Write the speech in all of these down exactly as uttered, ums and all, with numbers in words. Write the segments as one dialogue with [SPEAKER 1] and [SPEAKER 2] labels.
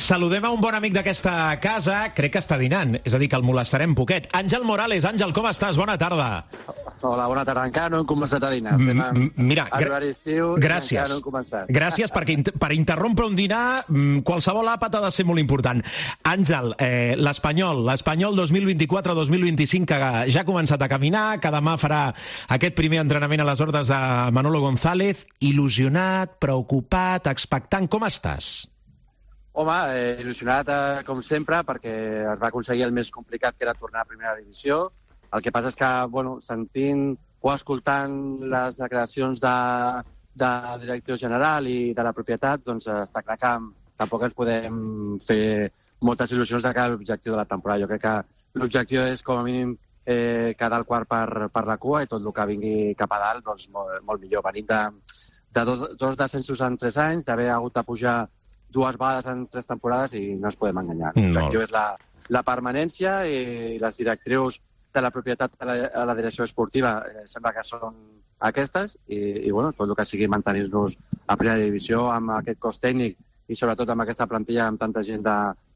[SPEAKER 1] Saludem a un bon amic d'aquesta casa, crec que està dinant, és a dir, que el molestarem poquet. Àngel Morales. Àngel, com estàs? Bona tarda.
[SPEAKER 2] Hola, bona tarda. Encara no hem començat a dinar. Estem en
[SPEAKER 1] Mira,
[SPEAKER 2] horari estiu i
[SPEAKER 1] gràcies.
[SPEAKER 2] encara no hem començat.
[SPEAKER 1] Gràcies, perquè per interrompre un dinar, qualsevol àpat ha de ser molt important. Àngel, eh, l'Espanyol, l'Espanyol dos mil vint-i-quatre dos mil vint-i-cinc, que ja ha començat a caminar, que demà farà aquest primer entrenament a les ordres de Manolo González. Il·lusionat, preocupat, expectant, com estàs?
[SPEAKER 2] Home, eh, il·lusionat eh, com sempre, perquè es va aconseguir el més complicat, que era tornar a primera divisió. El que passa és que, bueno, sentint o escoltant les declaracions de, de directiu general i de la propietat, doncs està clar que tampoc ens podem fer moltes il·lusions de cara a l'objectiu de la temporada. Jo crec que l'objectiu és, com a mínim, eh, quedar al quart per, per la cua, i tot el que vingui cap a dalt, doncs molt, molt millor. Venim de, de dos, dos descensos en tres anys, d'haver hagut de pujar dues vegades en tres temporades, i no ens podem enganyar. L'objectiu és la, la permanència, i les directrius de la propietat a la, a la direcció esportiva eh, sembla que són aquestes, i, i bueno, tot el que sigui mantenir-nos a primera divisió amb aquest cos tècnic i sobretot amb aquesta plantilla amb tanta gent de,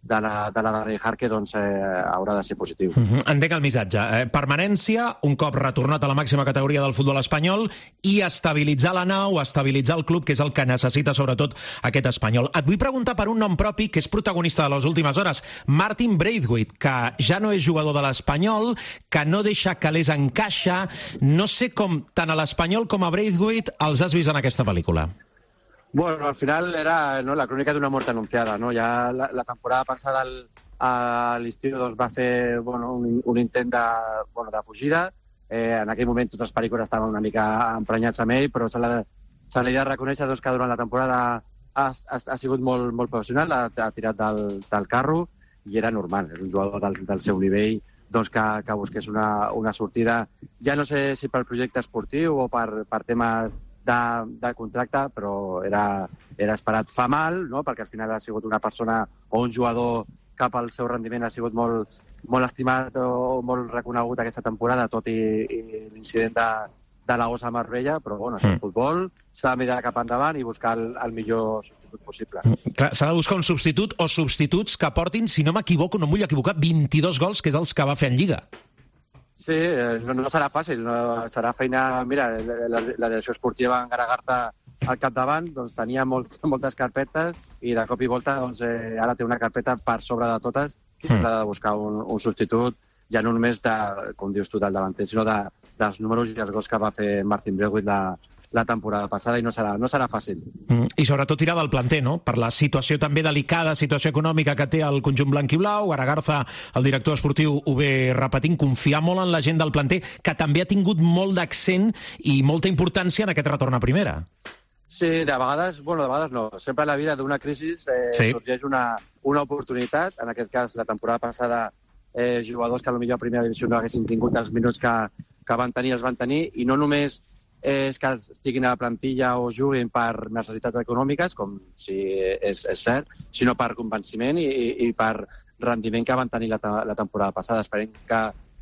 [SPEAKER 2] de la, de la Darrell Harke, doncs eh, haurà de ser positiu.
[SPEAKER 1] Uh-huh. Entenc el missatge. Eh, permanència, un cop retornat a la màxima categoria del futbol espanyol, i estabilitzar la nau, estabilitzar el club, que és el que necessita sobretot aquest Espanyol. Et vull preguntar per un nom propi que és protagonista de les últimes hores, Martin Braithwaite, que ja no és jugador de l'Espanyol, que no deixa calés en caixa. No sé com tant a l'Espanyol com a Braithwaite els has vist en aquesta pel·lícula.
[SPEAKER 2] Bueno, al final era, ¿no?, la crónica de una muerte anunciada, ¿no? Ya la, la temporada passada al, a l'estiu doncs, va fer bueno, un, un intent de, bueno, de fugida. Eh, en aquell moment tots els pericos estaven una mica emprenyats amb ell, però se l'ha de reconèixer doncs, que durant la temporada ha, ha, ha sigut molt, molt professional, ha, ha tirat del, del carro, i era normal. És un jugador del, del seu nivell doncs, que, que busqués una, una sortida, ja no sé si per projecte esportiu o per, per temes De, de contracte, però era, era esperat. Fa mal, no?, perquè al final ha sigut una persona o un jugador que pel seu rendiment ha sigut molt, molt estimat o molt reconegut aquesta temporada, tot i, i l'incident de, de la gossa a Marbella, però bueno, és el futbol, s'ha de mirar cap endavant i buscar el, el millor substitut possible.
[SPEAKER 1] Clar, s'ha de buscar un substitut o substituts que portin, si no m'equivoco, no em vull equivocar, vint-i-dos gols, que és els que va fer en Lliga.
[SPEAKER 2] Sí, no, no serà fàcil, no, serà feina... Mira, la, la direcció esportiva en Garagarta al capdavant doncs, tenia molt, moltes carpetes, i de cop i volta doncs, eh, ara té una carpeta per sobre de totes, i mm. ha de buscar un, un substitut, ja no només de, com dius tu, del davanter, sinó de, dels números i els gols que va fer Martin Braithwaite la, la temporada passada, i no serà, no serà fàcil.
[SPEAKER 1] Mm. I sobretot tirar del planter, no?, per la situació també delicada, situació econòmica que té el conjunt blanc i blau. Garagarza, el director esportiu, ho ve repetint, confiar molt en la gent del planter, que també ha tingut molt d'accent i molta importància en aquest retorn a primera.
[SPEAKER 2] Sí, de vegades, bueno, de vegades no. Sempre a la vida d'una crisi eh,
[SPEAKER 1] sí.
[SPEAKER 2] sorgeix una, una oportunitat. En aquest cas, la temporada passada, eh, jugadors que potser a primera divisió no haguessin tingut els minuts que, que van tenir, els van tenir, i no només és que estiguin a la plantilla o juguin per necessitats econòmiques, com si és, és cert, sinó per convenciment i, i, i per rendiment que van tenir la, la temporada passada. Esperem que,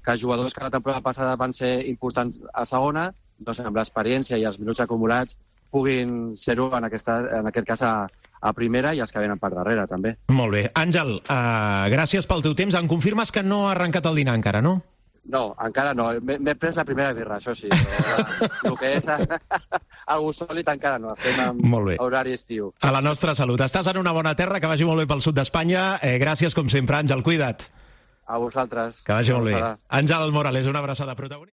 [SPEAKER 2] que jugadors que la temporada passada van ser importants a segona, doncs amb l'experiència i els minuts acumulats puguin ser-ho en, aquesta, en aquest cas a, a primera, i els que venen per darrere, també.
[SPEAKER 1] Molt bé. Àngel, uh, gràcies pel teu temps. Em confirmes que no ha arrencat el dinar encara, no?
[SPEAKER 2] No, encara no. M'he pres la primera birra, això sí. Però el que és algú sòlid encara no. Estem en horari estiu.
[SPEAKER 1] A la nostra salut. Estàs en una bona terra, que vagi molt bé pel sud d'Espanya. Eh, gràcies, com sempre, Àngel. Cuida't.
[SPEAKER 2] A vosaltres.
[SPEAKER 1] Que vagi molt bé. Àngel Morales, una abraçada protagonista.